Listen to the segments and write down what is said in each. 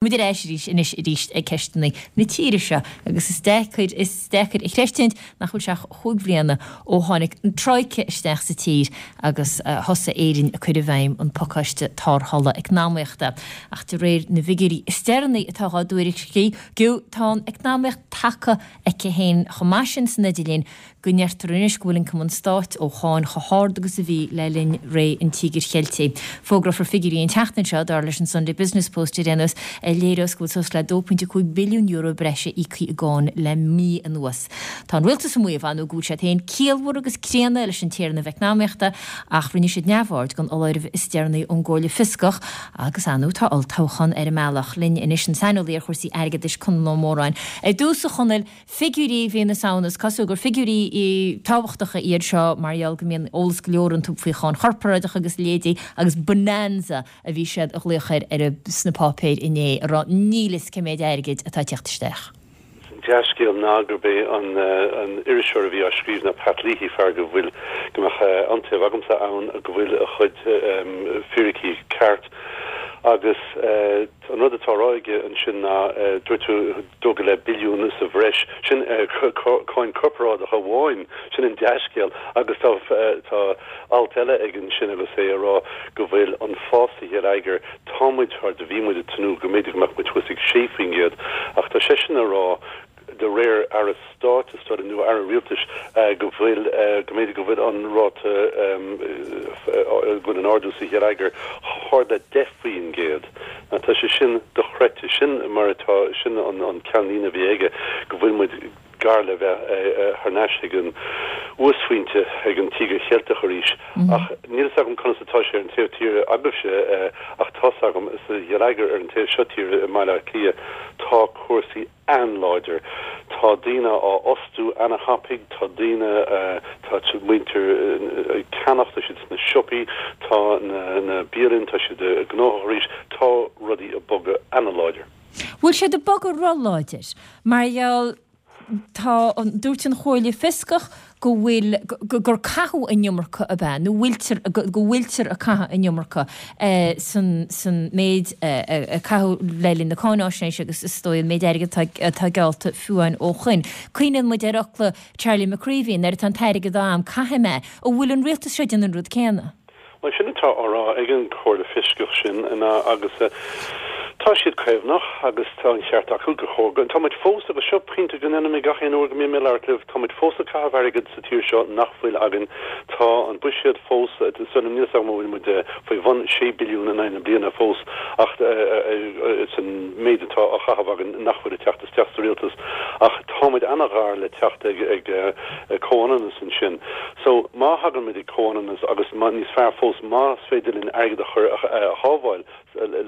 Muid ar ais arís anois arís ag ceisteanna na tíre seo agus is deacair, is deacair a chreistiúint nach bhfuil sé ach chúig bhliana ó tháinig an Troika isteach sa tír agus thosaigh Éirinn ag cur i bhfeidhm an pacáiste tarrthála eacnamaíochta. Ach de réir na bhfigiúirí is deireanaí atá dhá dtuairisciú, tá an eacnamaíocht tagtha aici féin chomh maith sin san idirlinn go ndeirtear anois go bhfuil ioncam an stáit ó cháin chomh hard agus a bhí le linn ré an Tíogair Cheiltigh. Fógrófar figiúirí an tseachtain seo, dar leis an Sunday Business Post ar aon nós, a léireos go bhfuil suas le €2.5 billiún breise íoctha i gcáin le mí anuas. Tá an rialtas ag maíomh, ar ndóigh, go bhfuil siad féin ciallmhar agus críonna leis an téarnamh eacnamaíochta ach rinne siad neamhaird den fholáireamh is deireanaí ón gComhairle Fioscach agus, ar ndóigh, tá olltoghchán ar an mbealach. Linn anois an saineolaí ar chúrsaí airgeadais, Conall Ó Móráin. Ar dtús, a Chonaill, Figiúirí mhí na Samhna, is cosúil gur figiúirí tábhachtacha iad seo mar gheall go mbíonn eolas go leor iontu faoi cháin chorparáideach agus a leithéidí agus bonanza a bhí siad a ghlaoch air ar sna páipéir inné a rá níl fhios cé méid airgid atá ag teacht isteach. An dea-scéal ná gurb é an iriseoir a bhí á scríobh ná Pat Leahy, fear go bhfuil, go mbeadh iontaoibh agamsa ann, go bhfuil a chuid fíricí ceart agus An rud atá á rá aige ansin ná, dúirt tú, 2.5 billiún sa bhreis, sin cáin corparáideach amháin, sin an dea-scéal agus tá tá alt eile aige ansin agus é ag rá go bhfuil an fás sa gheilleagar, tá muid thar, bhí muid ag tnúth go mb'fhéidir go mbeadh muid thuas ag 6% ach tá seisean ag rá de réir Aire Stáit is dóigh liom, nó Aire Rialtais, go bhfuil, go mb'fhéidir go bhfuil an ráta, go bhfuil an ardú sa gheilleagar chomh hard le 10%. Now tá sé sin dochreidte. Sin mar atá, sin an ceannlíne a bhí aige, go bhfuil muid gar le bheith thar n-ais ag an uasphointe, ag an Tíogar Cheilteach arís. Ach níl fhios agam conas atá sé ar an taobh tíre agaibhse, ach tá's agam, sa gheilleagar ar an taobh seo tíre i mBaile Átha Cliath, tá cúrsaí an-láidir. Tá daoine á fhostú ana-thapaidh, tá daoine, tá muintir ag ceannach, tá siad sna siopaí, tá na bialanna, tá siad gnóthach arís, tá rudaí ag bogadh ana-láidir. Bhfuil siad ag bogadh ro-láidir? Mar gheall, tá, dúirt an Chomhairle Fioscach go bhfuil, gur caitheadh an iomarca ab ea, nó bhfuiltear, go bhfuiltear ag caitheamh an iomarca san, san méid a caitheadh le linn na cáináisnéise agus is dóigh an méid airgid atá, atá geallta fiú amháin ó shoin. Cuimhníonn muid ar fhocla Charlie McCreevy, nuair atá an t-airgead a'am, caithfidh mé. An bhfuil an rialtas seo ag déanamh an rud céanna? Bhuel, sin atá á rá ag an Chomhairle Fioscach sin ná agus tá siad caomhnach agus tá an cheart acu go chóir go, tá muid fós, agus seo pointe go ndéanaim mé gach aon uair go mbím ag labhairt libh, tá muid fós ag caitheamh airgead sa tír seo nach bhfuil againn. Tá an buiséad fós, níl a fhios agam an bhfuil muid faoi bhun sé billiún in aghaidh na bliana fós ach san méid atá á chaitheamh againn nach bhfuil ag teacht isteach sa rialtas ach tá muid ana-ghar le teacht ag comhionannas ansin. So, má thagann muid ag comhionannas agus má, níos fearr fós, más féidir linn airgead a chur, a shábháil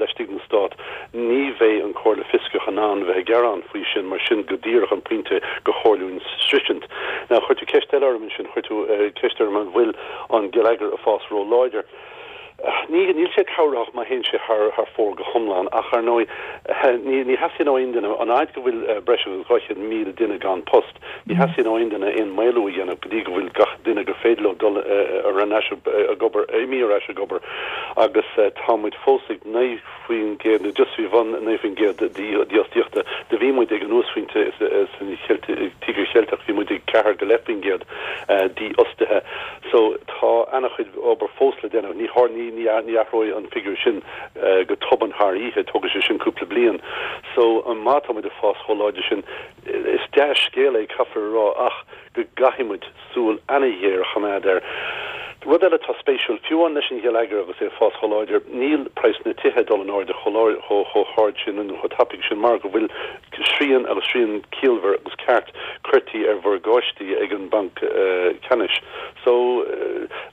laistigh den Stát, ní bheidh an Comhairle Fioscach in ann bheith ag gearán faoi sin mar sin go díreach an pointe gur chóir dúinn sroisint. Now, chuir tú ceist eile orm ansin, chuir tú ceist orm an bhfuil an geilleagar ag fás ró-láidir. Ní, níl sé cabhrach má théann sé thar, thar fóir go hiomlán ach, ar ndóigh, ní, ní theastaíonn ó aon duine, an fhaid go bhfuil breis agus 200,000 duine gan post, ní theastaíonn ó aon duine aon maolú a dhéanamh go dtí go bhfuil gach duine gur féidir leo dul ar ais ag obair, imithe ar ais ag obair agus tá muid fós ag 9% nó just faoi bhun 9% dífhostaíochta. Do bhí muid ag an uasphointe san Tíogar Cheilteach, bhí muid ag 4 go leith% dífhostaithe. So, tá ana-chuid obair fós le déanamh. Ní ní ní athróidh an figiúr sin go tobann thar oíche, tógfaidh sé sin cúpla bliain. So, má tá muid ag fás chomh láidir sin, is dea-scéal é, caithfear a rá, ach go gcaithfidh muid súil ana-ghéar a choimeád air. Rud eile atá spéisiúil, fiú amháin leis an gheilleagar agus é ag fás chomh láidir, níl praghas na tithe ag dul in airde chomh chomh hard sin nó chomh tapaidh sin mar go bhfuil srian agus srian ciallmhar agus ceart cuirtí ar mhorgáistí ag an mBanc Ceannais. So,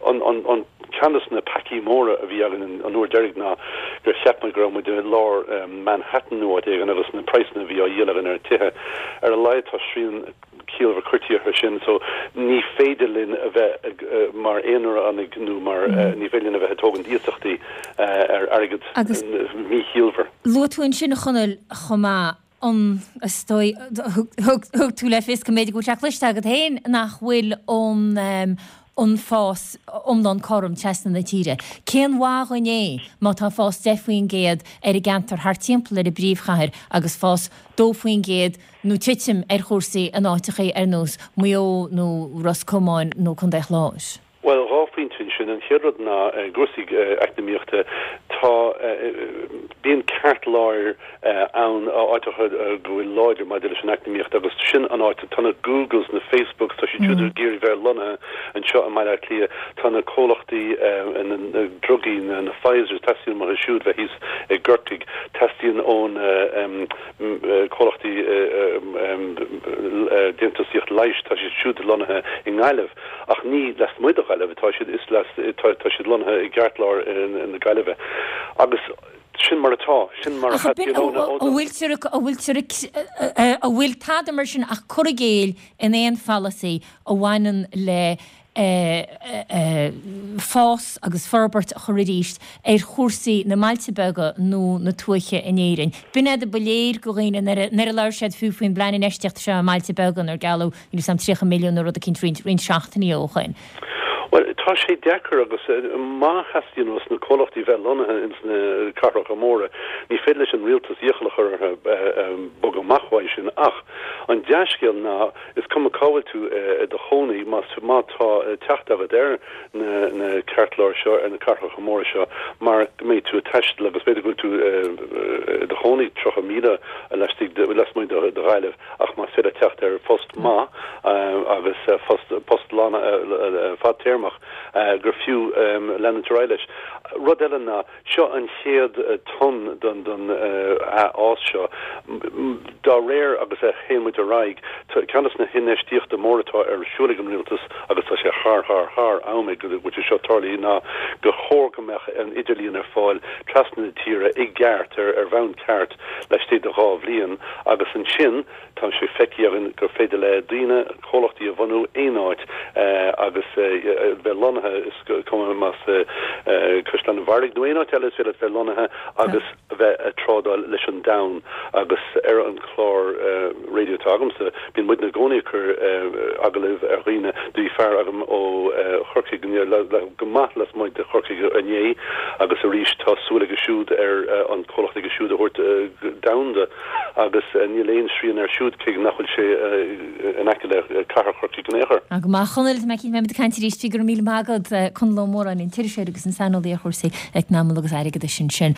an, an, an, ceann de na peacaí móra a bhí againn an uair deiridh ná gur cheap muid go raibh muid i lár Manhattan nó áit éigin agus na praghsanna a bhí á dhíol againn ar tithe. Ar a laghad tá srian ciallmhar cuirtí orthu sin so ní féidir linn a bheith mar aonaránaigh nó mar ní féidir linn a bheith ag tógaint iasachtaí ar airgead míchiallmhar. Luaigh tú ansin, a Chonaill, chomh maith, an, is dóigh, thug tú le fios go mb'fhéidir go bhfuil sé cloiste agat féin nach bhfuil an. an fás iomlán cothrom trasna na tíre. Cén mhaith dhuinn é má tá fás 10% ar an gceantar thart timpeall ar an bpríomhchathair agus fás 2% nó titim ar chúrsaí in áiteachaí ar nós Maigh Eo nó Ros Comáin nó Contae Chláir? Bhuel, 2 phointe ansin. An chéad rud ná i gcúrsaí eacnamaíochta, tá, bíonn ceartláir ann, áiteacha go bhfuil láidir maidir leis an eacnamaíocht agus sin an áit, tá na Googles, na Facebooks, tá siad siúd ag iarraidh bheith lonnaithe anseo i mBaile Átha Cliath, tá na comhlachtaí na drugaí, na Pfizers, teastaíonn uathu siúd bheith thíos i gCorcaigh, teastaíonn ó na comhlachtaí déantúsaíocht leighis, tá siad siúd lonnaithe i nGaillimh. Ach ní lasmuigh de Ghaillimh atá siad, is tá siad lonnaithe i gceartlár na Gaillimhe. Agus sin mar atá, sin mar a theastaíonn ó na. An bhfuiltear, an bhfuiltear, an bhfuil tada mar sin ach cur i gcéill in aon pholasaí a bhaineann le fás agus forbairt a chur arís ar chúrsaí na mbailte beaga nó na tuaithe in Éirinn. B'in é ba léir go dhaoine nuair a labhair siad fiú faoin bplean infheistíochta seo i mbailte beaga inar gealladh níl 'fhios a'm 30 milliún nó rud eicínt roinnt roinnt seachtainí ó shoin. Bhuel, tá sé deacair agus má theastaíonn ós na comhlachtaí bheith lonnaithe ins na cathracha móra, ní féidir leis an rialtas iachall a chur orthu bogadh amach uaidh sin. Ach an dea-scéal ná is cuma cá bhfuil tú i do chónaí, má má tá teacht agat ar na na ceartláir seo, ar na cathracha móra seo, mar go mbeidh tú ag taisteal agus b'fhéidir go bhfuil tú i do chónaí 30 míle laistigh de, lasmuigh de Ghaillimh. Ach más féidir teacht ar phost maith agus post post lán fadtéarmach gur fiú leanúint ar aghaidh leis. Rud eile ná, seo an chéad tonn don don athfhás seo. Dá réir agus a théann muid ar aghaidh, ceann des na hinfheistíochta móra atá ar siúl ag an rialtas agus tá sé thar thar thar am ag go bhfuil sé seo tarlaithe ná gur chóir go mbeadh an idirlíon ar fáil trasna na tíre i gceart ar ar bhonn ceart laistigh de 2 bhliain agus ansin tá sé feicthe againn gur féidir le daoine comhlachtaí a bhunú aon áit agus bheith lonnaithe, is cuma más Caisleán an Bharraigh nó aon áit eile is féidir leat bheith lonnaithe agus a bheith ag trádáil leis an domhan agus ar an chlár raidió atá agamsa bíonn muidne i gcónaí ag cur agallaimh ar dhaoine. Do bhí fear agam ó Chorcaigh, go maith lasmuigh de Chorcaigh inné agus arís tá súil aige siúd ar an comhlacht aige siúd a thabhairt domhanda agus níl aon srian air siúd cé nach bhfuil sé in aice le cathair Chorcaí in aon chor. Go maith, a Chonaill, tá mé cinnte go mbeimid ag caint arís, go raibh míle maith agat, Conall Ó Móráin, an t-iriseoir agus an saineolaí ar chúrsaí eacnamaíochta agus airgeadais ansin.